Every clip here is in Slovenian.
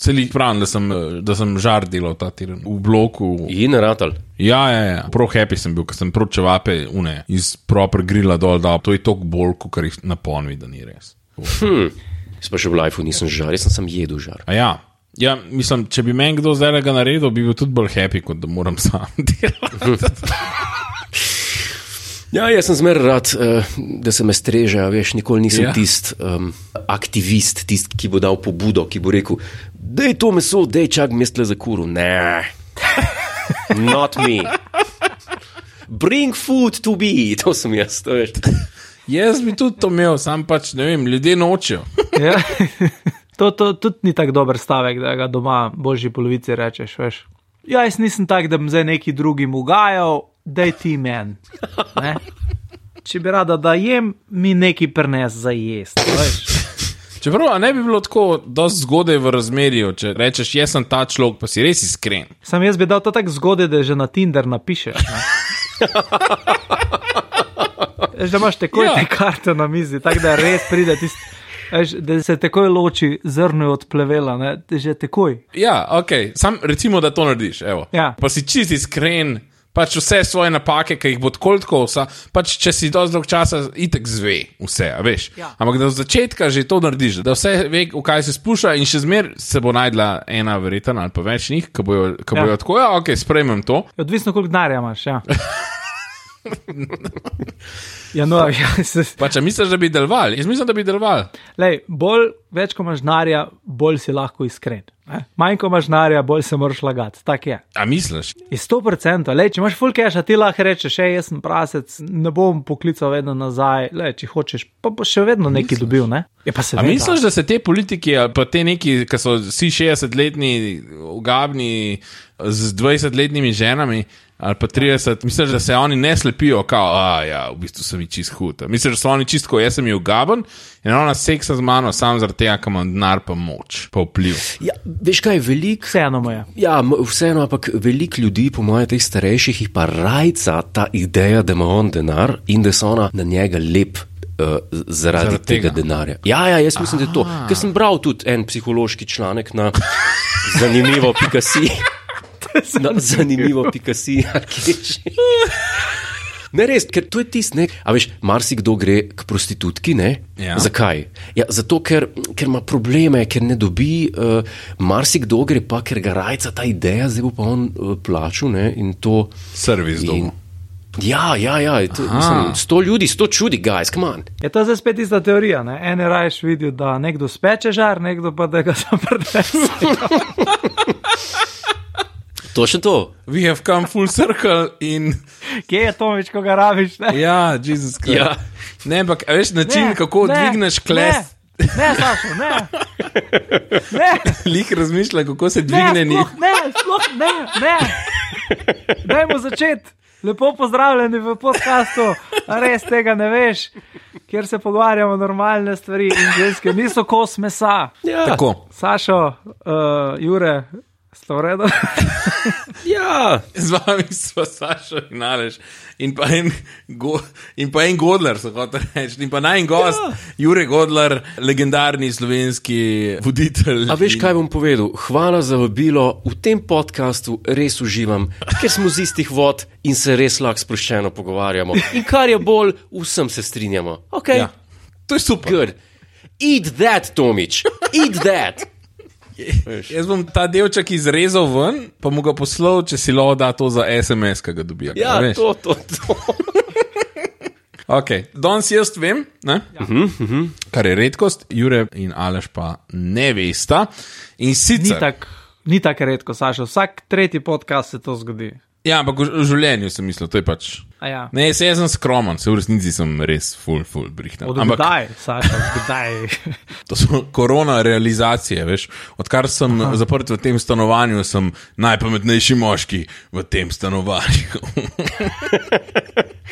Celih pravim, da sem žar delal ta teden v bloku. In ratal. Ja. Prav happy sem bil, ker sem prav čevape iz proper grilla dol dal. To je toliko bolj, kot jih naponvi, da ni res. Jaz pa še v lifeu nisem žar, jaz sem jedel žar. A ja. Ja, mislim, če bi meni kdo zdaj ga naredil, bi bil tudi bolj happy, kot da moram sam delati. Ja, jaz sem zmer rad, da se me streže, veš, nikoli nisem tist aktivist, tist, ki bo dal pobudo, ki bo rekel, dej to meso, dej čak mestle za kuru. Ne, not me. Bring food to be, to sem jaz, to veš. Jaz bi tudi to imel, sam pač, ne vem, ljudje nočejo. Ja. To tudi ni tak dober stavek, da ga doma božji polovici rečeš, veš. Ja, jaz nisem tak, da bi zdaj neki drugim ugajal, daj ti men. Ne? Če bi rada, da jem, mi neki prines za jest, veš. Čeprav, ne bi bilo tako dosti zgodaj v razmerju, če rečeš, jaz sem ta človek, pa si res iskren. Sam jaz bi dal to tak zgodaj, da že na Tinder napišeš, ne. Da imaš takoj te karte na mizi, tako da res pride tisti, da se takoj loči zrno od plevela, ne, že takoj. Ja, okej, sam recimo, da to narediš, evo. Ja. Pa si čist iskren, pač vse svoje napake, ki jih bo tako, pač če si dosti dolg časa, itek zve vse, veš. Ja. Ampak da od začetka že to narediš, da vse ve, v kaj se spušča in še zmer se bo najdla ena verjetna ali pa več njih, ki bojo tako, okej, sprejmem to. Odvisno, koliko denarja imaš, ja. Ja, no, Pa če misliš, da bi deloval? Jaz mislim, da bi deloval. Lej, več ko imaš denarja, bolj si lahko iskren. Manj ko imaš denarja, bolj se moraš lagati. Tak je. A misliš? Je 100%. Lej, če imaš full cash, ti lahko rečeš, jaz sem prasec, ne bom poklical vedno nazaj. Lej, če hočeš, pa boš še vedno nekaj dobil, ne? Je pa A misliš, da se te politiki, ali pa te neki, ki so vsi 60-letni, ugabni, z 20-letnimi ženami, ali pa 30, misliš, da se oni ne slepijo, kao, v bistvu sem ji čist hud. Misliš, da so oni čist, ko jaz sem ji ugaben in ona seksa z mano sam zaradi tega, ker imam denar pa moč, pa vpliv. Ja, veš kaj, vseeno mu je. Ja, vseeno, ampak veliko ljudi, po moje teh starejših, jih pa rajca ta ideja, da ima on denar in da so ona na njega lep zaradi tega denarja. Ja, jaz mislim, da je to. Ker sem bral tudi en psihološki članek na zanimivo.si. Zanimivo.si. Ne, res, ker to je tist, ne. A veš, marsikdo gre k prostitutki, ne? Ja. Zakaj? Ja, zato, ker ima probleme, ker ne dobi, marsikdo gre pa, ker ga rajca ta ideja, zdaj bo pa on plačal, ne, in to... Servis domu. Ja, to, mislim, 100 ljudi, 100 čudi, guys, come on. Je to zdaj spet ista teorija, ne? En je rajš videl, da nekdo speče žar, nekdo pa, da ga zaprnese. Točno to. We have come full circle in... Kje je Tomič, ko ga rabiš, ne? Ja, Jesus Christ. Ja. Ne, ampak veš način, kako dvigneš kles... Ne, Sašo, ne. Lih razmišlja, kako se dvigne njih. Ne. Dajmo začeti. Lepo pozdravljeni v podcastu, res tega ne veš, kjer se pogovarjamo normalne stvari in ženske niso kos mesa. Ja. Tako. Sašo, Jure, ste v redu? Ja. Z vami smo Sašo in Aleš in pa en Godler, so hotel reči, in pa najn gost, Jure Godler, legendarni slovenski voditelj. A veš, kaj bom povedal? Hvala za vabilo, v tem podcastu res uživam, ker smo z istih vod in se res lahko sproščeno pogovarjamo. In kar je bolj, vsem se strinjamo. Ok? Ja. To je super. Good. Eat that, Tomič. Eat that. Jaz bom ta delček izrezal ven, pa mu ga poslal, če si lo da to za SMS, ki ga dobijo. Ja, to. Ok, danes jaz vem, ne? Kar je redkost, Jure in Aleš pa ne vesta. In sicer... Ni tak redko, Sašo, vsak tretji podcast se to zgodi. Ja, ampak v življenju sem mislil, to je pač... Ja. Ne, jaz sem skromen, se v resnici sem res full brihten. Kdaj, Sašo, kdaj? To so korona realizacije, veš. Odkar sem zaprt v tem stanovanju, sem najpametnejši moški v tem stanovanju.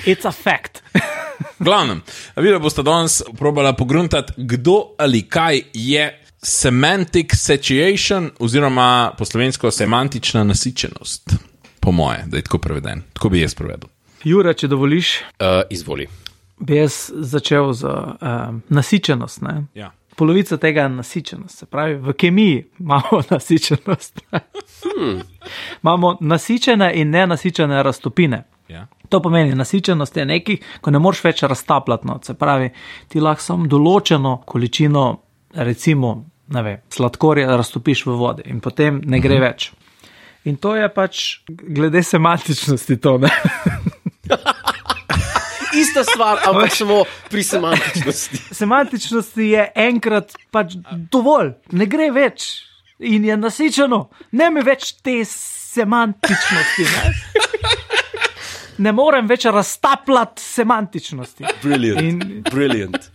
It's a fact. Glavnem, videla boste danes probala pogruntati, kdo ali kaj je semantic satiation, oziroma po slovensko semantična nasičenost. Po moje, da je tako preveden. Tako bi jaz prevedel. Jure, če dovoliš, Izvoli. bi jaz začel z nasičenost. Ne? Ja. polovica tega je nasičenost. Se pravi, v kemiji imamo nasičenost. Imamo nasičene in nenasičene raztopine. Ja. To pomeni, nasičenost je nekaj, ko ne moreš več raztapljati. No. Se pravi, ti lahko samo določeno količino, recimo, ne vem, sladkorja raztopiš v vodi in potem ne gre več. In to je pač glede semantičnosti to, ne? Ista stvar, ampak samo pri semantičnosti. Semantičnosti je enkrat pač dovolj, ne gre več in je nasičeno. Ne mi več te semantičnosti, ne? Ne morem več raztapljati semantičnosti. Brilliant.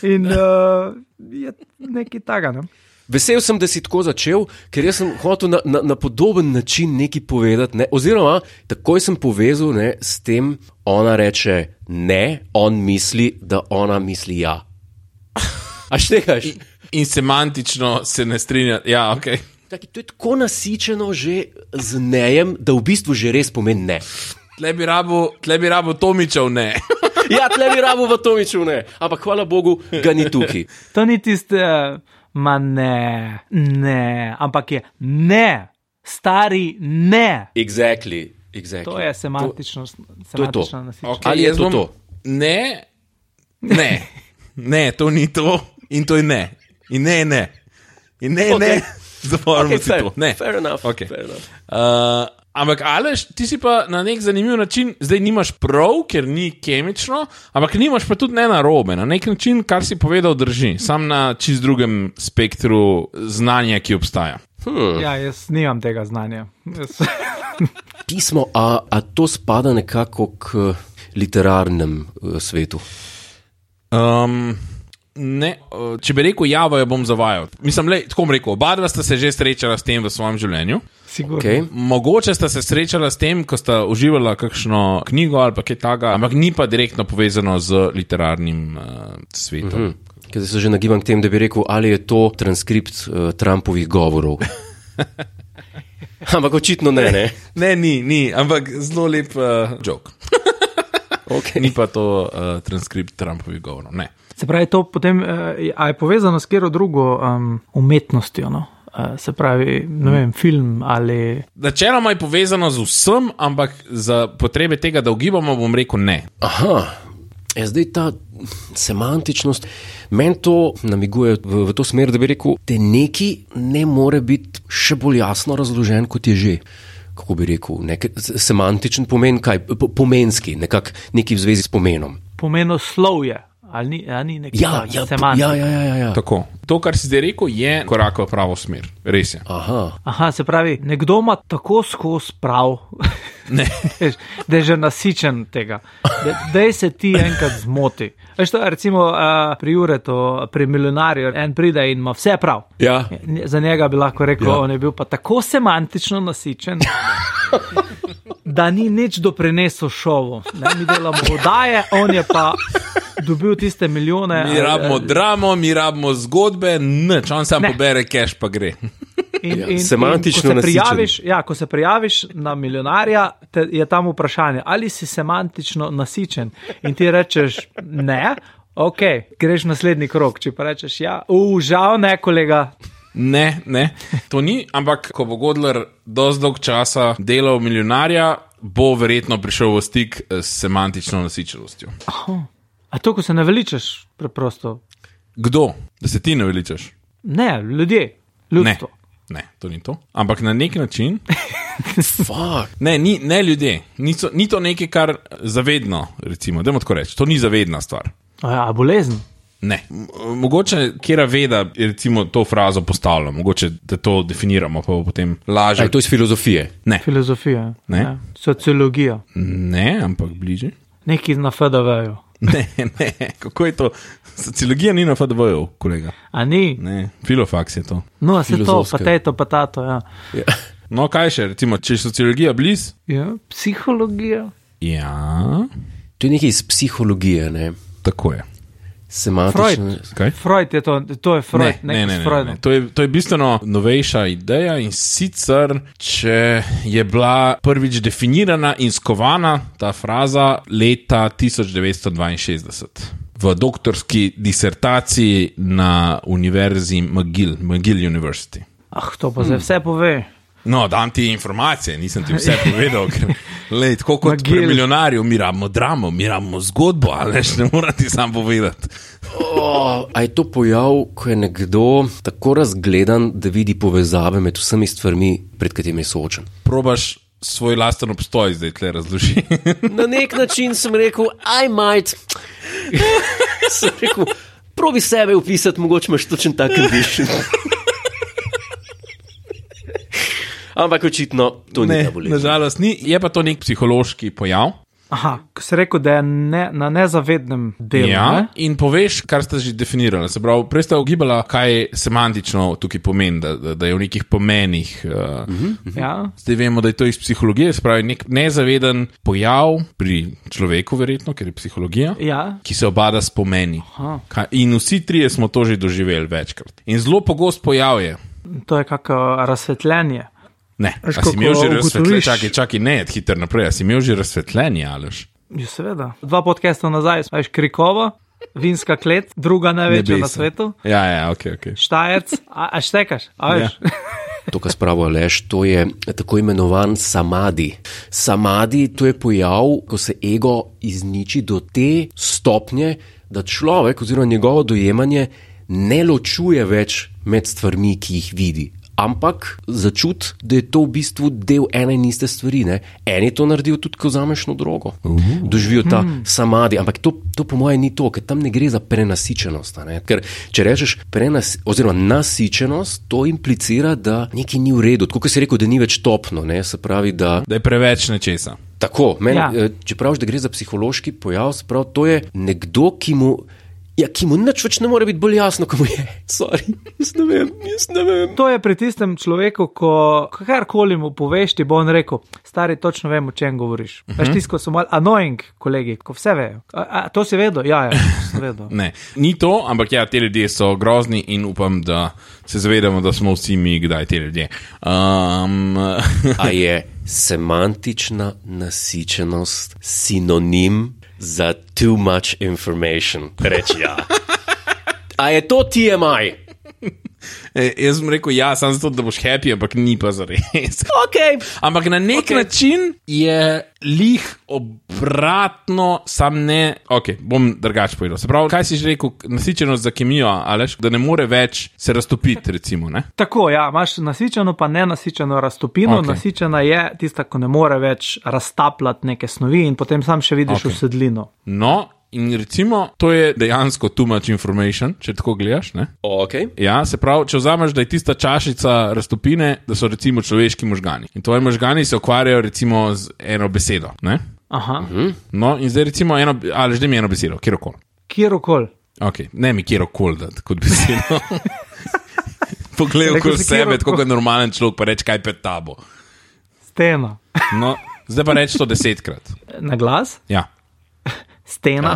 In je nekaj taga, ne? Vesel sem, da si tako začel, ker jaz sem hotel na podoben način nekaj povedati, ne? Oziroma, takoj sem povezal, ne, s tem, ona reče ne, on misli, da ona misli ja. A štekaš? In semantično se ne strinja. Ja, ok. Taki, to je tako nasičeno že z nejem, da v bistvu že res pomeni ne. Tle bi rabo Tomičev ne. Ja, tle bi rabo v Tomičev ne, ampak hvala Bogu ga ni tukaj. To ni tiste... Ma ne, ampak je ne, stari ne. Exactly. To je semantičnost. To je to. Okay. Ali je to? Ne, to ni to in to je ne. In ne. In ne. Zaporimo si to. Ne. Fair enough. Okay. Ampak Aleš, ti si pa na nek zanimiv način, zdaj nimaš prav, ker ni kemično, ampak nimaš pa tudi ne narobe. Na nek način, kar si povedal, drži. Sam na čist drugem spektru znanja, ki obstaja. Ja, jaz nimam tega znanja. Pismo, a to spada nekako k literarnem svetu? Ne, če bi rekel javo, jo bom zavajal. Mislim, tako bom rekel, oba dva sta se že srečala s tem v svojem življenju. Okay. Mogoče sta se srečala s tem, ko sta uživala kakšno knjigo ali pa kaj taga, ampak ni pa direktno povezano z literarnim svetom. Ker se že nagibam k tem, da bi rekel, ali je to transkript Trumpovih govorov. Ampak očitno ne. Ne, ni, ampak zelo lep joke. Okay. Ni pa to transkript Trumpovih govorov, ne. Se pravi, to potem je povezano s kjero drugo umetnostjo, no? Se pravi, ne vem, film ali... Načeloma je povezano z vsem, ampak za potrebe tega, da ugibamo, bom rekel ne. Aha, zdaj ta semantičnost, meni to namiguje v to smer, da bi rekel, da neki ne more biti še bolj jasno razložen, kot je že. Kako bi rekel, semantičen pomen, kaj? Pomenski, nekaj v zvezi s pomenom. Pomenoslovje. Ali ni nekaj semantika? Ja. Tako. To, kar si zdaj rekel, je korak v pravo smer. Res je. Aha, se pravi, nekdo ima tako skozi prav, da je že nasičen tega. Daj se ti enkrat zmoti. Veš to, recimo pri Juretu, pri milijonarju, en pride in ima vse prav. Ja. Za njega bi lahko rekel, on je bil pa tako semantično nasičen, da ni nič doprinesel šovu. Mi delamo oddaje, on je pa dobil tiste milijone. Mi rabimo dramo, mi rabimo zgodbe, nič, on sam pobere cash pa gre. Semantično nasičen. Ko se prijaviš na milijonarja, je tam vprašanje, ali si semantično nasičen in ti rečeš ne, ok, greš naslednji krog, če pa rečeš ja, žal ne, kolega. Ne, to ni, ampak ko bo Godler dosti dolg časa delal milijonarja, bo verjetno prišel v stik s semantično nasičenostjo. A to, ko se naveličaš preprosto? Kdo? Da se ti naveličaš? Ne, ljudje, ljudstvo. Ne, to ni to. Ampak na nek način... ne ljudje. Ni to nekaj, kar zavedno, recimo, dajmo tako reči. To ni zavedna stvar. A bolezen? Ne. Mogoče kjera veda, recimo, to frazo postavlja. Mogoče, da to definiramo, pa bo potem lažje. To je iz filozofije? Ne. Filozofija. Ne. Ja. Sociologija? Ne, ampak bliže. Nekaj na FDV-ju. Ne, kako je to? Sociologija ni na FDV-ju, kolega. A ni? Ne, filofaks je to. No, se to, pa tato, ja. No, kaj še, recimo, če je sociologija bliz? Ja, psihologija. Ja. To je nekaj iz psihologije, ne? Tako je. Freud je to je Freud. Ne. To je bistveno novejša ideja in sicer, če je bila prvič definirana in skovana ta fraza leta 1962. v doktorski disertaciji na univerzi McGill University. To pa zdaj vse pove. No, dam ti informacije, nisem ti vse povedal, ker tako kot pri milijonarju, mi rabimo dramo, mi rabimo zgodbo, ali ne moram ti sam povedati. A je to pojav, ko je nekdo tako razgledan, da vidi povezave med vsemi stvarmi, pred katerimi je soočen? Probaš svoj lasten obstoj zdaj tle razloži. Na nek način sem rekel, I might. Sem rekel, probi sebe upisati, mogoče imaš točen tak condition. Ampak očitno to ni ta bolezen. Nažalost ni, je pa to nek psihološki pojav. Aha, ko si rekel, da je na nezavednem delu. Ja, ne? in poveš, kar ste že definirali. Se pravi, prej ste ugibala, kaj semantično tukaj pomeni, da je v nekih pomenih. Ja. Zdaj vemo, da je to iz psihologije, se pravi, nek nezaveden pojav pri človeku, verjetno, ker je psihologija, ki se obada s pomeni. In vsi trije smo to že doživeli večkrat. In zelo pogost pojav je. To je kako razsvetljenje. Ne, a si imel že razsvetljenje, čakaj, ne, hitro naprej, a si imel že razsvetljenje, ališ? Ja, seveda. 2 podcasta nazaj, veš, Krikova, vinska klet, druga največja na svetu. Ja, ok. Štajerc, a štekaš, a veš? Ja. To, kar spravo Aleš, to je tako imenovan samadi. Samadi, to je pojav, ko se ego izniči do te stopnje, da človek oziroma njegovo dojemanje ne ločuje več med stvarmi, ki jih vidi. Ampak začuti, da je to v bistvu del ene in iste stvari. Ne? Eni to naredijo tudi, ko vzameš drogo. Doživijo ta samadi. Ampak to po mojem ni to, ker tam ne gre za prenasičenost. Ne? Ker če rečeš nasičenost, to implicira, da nekaj ni v redu. Tako kot si rekel, da ni več topno. Ne? Se pravi, da je preveč nečesa. Tako, če praviš, da gre za psihološki pojav, se pravi, to je nekdo, ki mu nič več ne more biti bolj jasno, ko mu je. Sorry, jaz ne vem. To je pri tistem človeku, ko karkoli mu poveš, ti bo on rekel, stari, točno vem, o čem govoriš. Veš, tisto so malo annoying, kolegi, ko vse vejo. A to si vedel? Ja, sem vedel. Ne, ni to, ampak ja, te ljudje so grozni in upam, da se zavedamo, da smo vsi mi kdaj te ljudje. A je semantična nasičenost sinonim za too much information? Reči ja. A je to TMI? Jaz sem rekel ja, samo zato, da boš happy, ampak ni pa zares. Okay. Ampak na nek način je lih obratno, sam ne. Ok, bom drugače povedal. Se pravi, kaj si že rekel, nasičenost za kemijo, Aleš, da ne more več se raztopiti, recimo, ne? Tako, ja, imaš nasičeno pa nenasičeno raztopino. Okay. Nasičena je tista, ko ne more več raztapljati neke snovi in potem sam še vidiš usedlino. No, in recimo, to je dejansko too much information, če tako gledaš, ne? Okay. Ja, se pravi, če vzameš, da je tista čašica raztopine, da so recimo človeški možgani. In tvoji možgani se ukvarjajo recimo z eno besedo, ne? Aha. No, in zdaj recimo ali že mi eno besedo, kjerokoli. Kjerokoli. Ok, ne mi kjerokoli dati kot besedo. Poglej okoli sebe, tako kot normalen človek, pa reč, kaj pred tabo. Stena. No, zdaj pa reč to 10-krat. Na glas? Ja. Stena.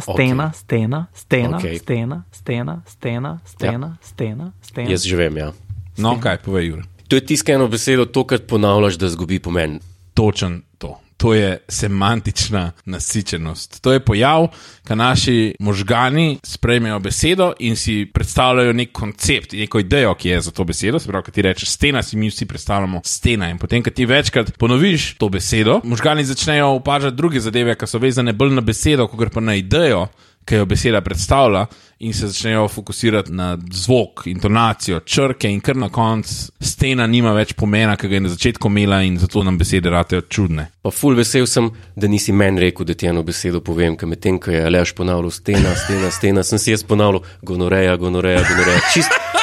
Jaz že vem, ja. No, kaj, povej, Jure. To je tiskano besedo, to, kar ponavljaš, da zgubi pomen. Točen to. To je semantična nasičenost. To je pojav, ko naši možgani sprejmejo besedo in si predstavljajo nek koncept, neko idejo, ki je za to besedo. Se pravi, ko ti rečeš stena, si mi vsi predstavljamo stena. In potem, ko ti večkrat ponoviš to besedo, možgani začnejo opažati druge zadeve, ki so vezane bolj na besedo, kot pa na idejo, ki jo beseda predstavlja, in se začnejo fokusirati na zvok, intonacijo, črke in kar na koncu stena nima več pomena, ki ga je na začetku imela in zato nam besede ratejo čudne. Pa ful vesel sem, da nisi meni rekel, da ti eno besedo povem, ker medtem, ko je Aleš ponavljal stena, sem si jaz ponavljal gonoreja.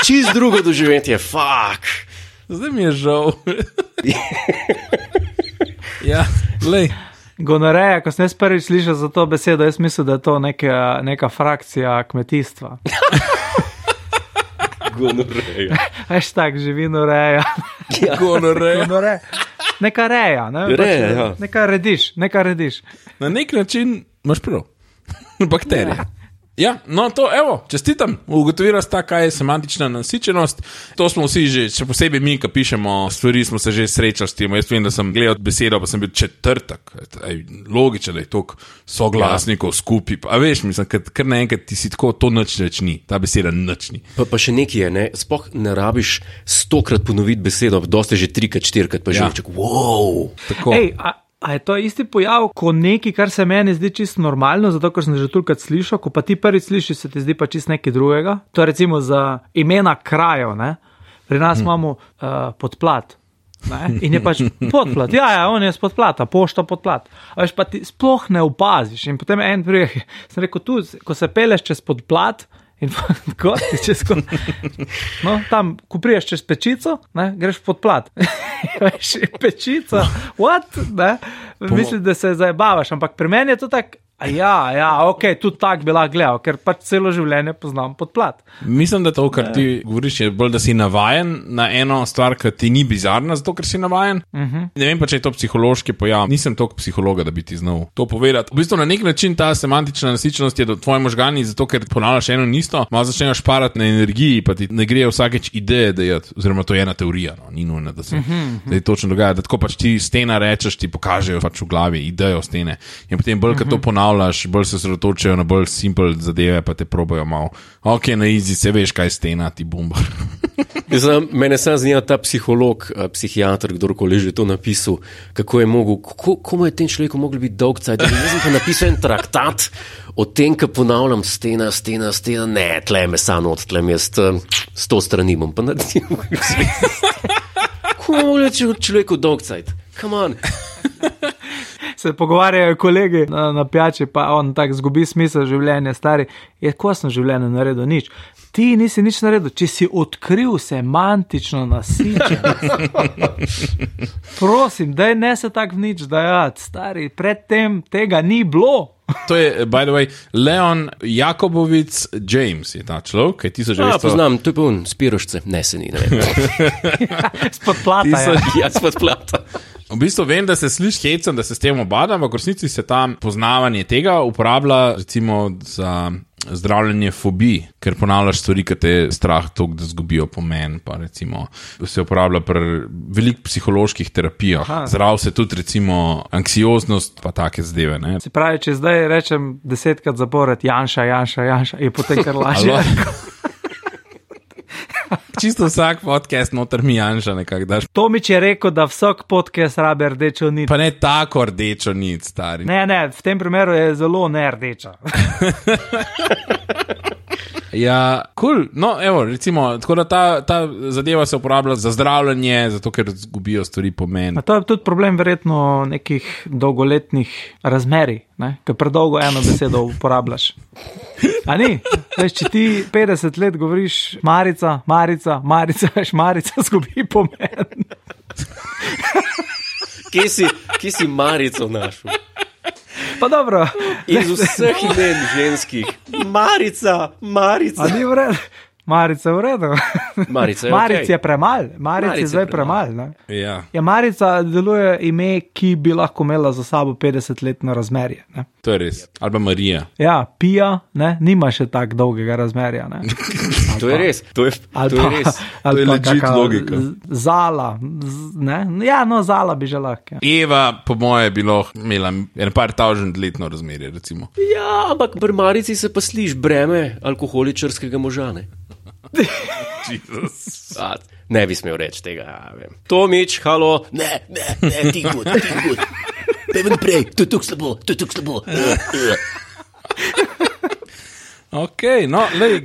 Čist drugo doživetje, fuck. Zdaj mi je žal. Ja, lej. Gonoreja, ko sem jaz prvič slišal za to besedo, jaz mislim, da je to neka frakcija kmetijstva. Gonoreja. Hashtag živinoreja. Ja. Gonoreja. Neka reja, ne? Reja, ja. Neka rediš. Na nek način imaš prav. Bakterije. Ja, no to, evo, čestitam. Ugotovila sta, kaj je semantična nasičenost. To smo vsi že, še posebej mi, ki pišemo stvari, smo se že srečali s tem. Jaz vem, da sem gledal besedo, pa sem bil četrtek. Logično, da je toliko soglasnikov skupaj. A veš, mislim, kar naenkrat ti si tako, to nič več ni. Ta beseda nič ni. Pa še nekaj je, ne? Sploh ne rabiš 100-krat ponoviti besedo, dosti že 3-krat, 4-krat, pa že reček, wow. Tako. A je to isti pojav, ko nekaj, kar se meni zdi čisto normalno, zato ker sem že tolikrat slišal, ko pa ti prvič slišiš, se ti zdi pa čisto nekaj drugega. To je recimo za imena krajev, ne? Pri nas imamo Podplat, ne? In je pač Podplat, ja, on je z Podplata, pošta Podplat. A veš, pa ti sploh ne opaziš. In potem en prijek, sem rekel, tu, ko se peleš čez Podplat, in tako ti čez no, tam, ko priješ čez Pečico, ne, greš pod plat. Veš, Pečica, what? Ne? Mislim, da se zajebavaš, ampak pri meni je to tak, ok, tudi tak bi lahko gledal, ker pač celo življenje poznam pod plat. Mislim, da to, kar ti govoriš, je bolj, da si navajen na eno stvar, ki ti ni bizarna, zato ker si navajen. Ne vem pa, če je to psihološki pojav. Nisem toliko psihologa, da bi ti znal to povedati. V bistvu na nek način ta semantična nasičenost je do tvoje možgani, zato ker ponavljaš eno in isto, malo začneš šparati na energiji, pa ti ne grejo vsakeč ideje dejati, oziroma to je ena teorija, no, ni nujno, da se da točno dogaja, da tako pač ti stena rečeš, ti pokažejo pač v glavi idejo stene. In potem bolj, kad to bolj se sredotočajo na bolj simple zadeve, pa te probajo malo. Ok, na easy, se veš, kaj stena, ti bombar. Mene sam zanima ta psiholog, psihiater, kdorkoli že to napisal, kako je mogel, komu je tem človeku mogli biti dolg cajt. Jaz sem pa napisal en traktat o tem, ko ponavljam stena, ne, tle me sano od, tle me 100 strani bom pa naredil. Komu mogli človeku dolg cajt? Come on. Se pogovarjajo kolegi na pijači, pa on tak zgubi smisel življenja, stari, ko sem življenje naredil nič. Ti nisi nič naredil, če si odkril semantično nasičenost. Prosim, daj ne se tak v nič dajati, stari, predtem tega ni bilo. To je, by the way, Leon Jakobovic James je ta človek, kaj 1900... poznam, to je pa Spirošce, ne se ni, ne vem. Spod plata, ja, spod plata. V bistvu vem, da se sliši hecam, da se s tem obadam, v resnici se tam poznavanje tega uporablja recimo za zdravljenje fobij, ker ponavljaš stvari, ki te strah toliko, da zgubijo pomen, pa recimo se uporablja pri veliko psiholoških terapijah. Zdrav se tudi recimo anksioznost, pa take zadeve, ne. Se pravi, če zdaj rečem 10-krat zapored Janša, je potem kar lažje. Čisto vsak podcast noter mi Janša nekak daš. Tomič je rekel, da vsak podcast rabe rdečo nit. Pa ne tako rdečo nit, stari. Ne, v tem primeru je zelo nerdeča. Ja, cool. No, evo, recimo, tako da ta zadeva se uporablja za zdravljenje, zato ker zgubijo stvari pomen. A to je tudi problem verjetno nekih dolgoletnih razmerij, ne? Ker predolgo eno besedo uporabljaš. A ni? Veš, če ti 50 let govoriš Marica, veš, Marica zgubi pomen. Kje si Marico našel? Pa dobro. Iz vseh imen ženskih. Marica. A ni v redu? Marica v redu. Marica je Maric okej. je premal. Maric je zdaj premal, ne? Ja. Ja, Marica deluje ime, ki bi lahko imela za sabo 50-letno razmerje, ne? To je res. Ali pa Marija. Ja, Pija, ne? Nima še tak dolgega razmerja, ne? To je res. To je res. To je legit logika. Zala, ne? Ja, no, Zala bi že lahko. Ja. Eva, po moje, bi lahko imela en par tavžent letno razmerje, recimo. Ja, ampak pri Marici se pa sliš breme alkoholičarskega moža, ne? Jesus. Ne bi smel reči tega, ja, vem. Tomič, halo. Ne, ti good. Peven prej, to je tuk slabo. Ok, no, lej,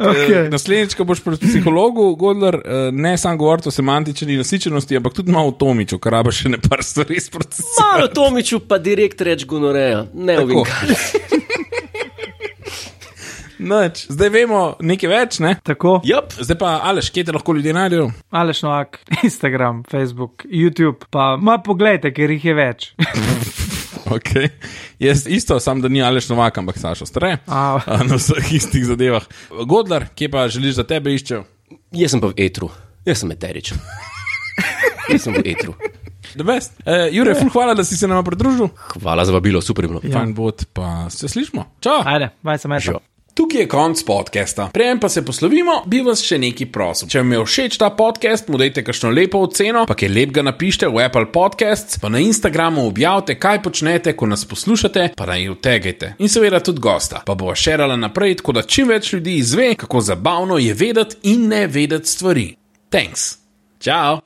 naslednjič, ko boš pri psihologu, Godler, ne sam govoriti o semantični nasičenosti, ampak tudi malo o Tomiču, kar rabe še ne par stvari sprocesirati. Malo Tomiču pa direkt reč gonoreja, ne ovinkar. Noč, zdaj vemo nekaj več, ne? Tako. Yep. Zdaj pa, Aleš, kje te lahko ljudje najdejo? Aleš Novak, Instagram, Facebook, YouTube, pa poglejte, ker jih je več. Ok, jaz isto, sam da ni Aleš Novak, ampak Sašo Stare, na vseh istih zadevah. Godler, kje pa želiš, da tebe iščejo? Jaz sem pa v etru, jaz sem eteričen. Jaz sem v etru. The best. Jure, ful hvala, da si se nama pridružil. Hvala za vabilo, super je bilo. Fajn bod, pa se slišmo. Čau. Ajde, baj se meša. Tukaj je konc podcasta. Preden pa se poslovimo, bi vas še nekaj prosil. Če vam je všeč ta podcast, mu dajte kakšno lepo oceno, pa kaj lepega napište v Apple Podcasts, pa na Instagramu objavite, kaj počnete, ko nas poslušate, pa naj jo tagajte. In seveda tudi gosta, pa bova šerala naprej, tako da čim več ljudi izve, kako zabavno je vedeti in ne vedeti stvari. Thanks. Ciao.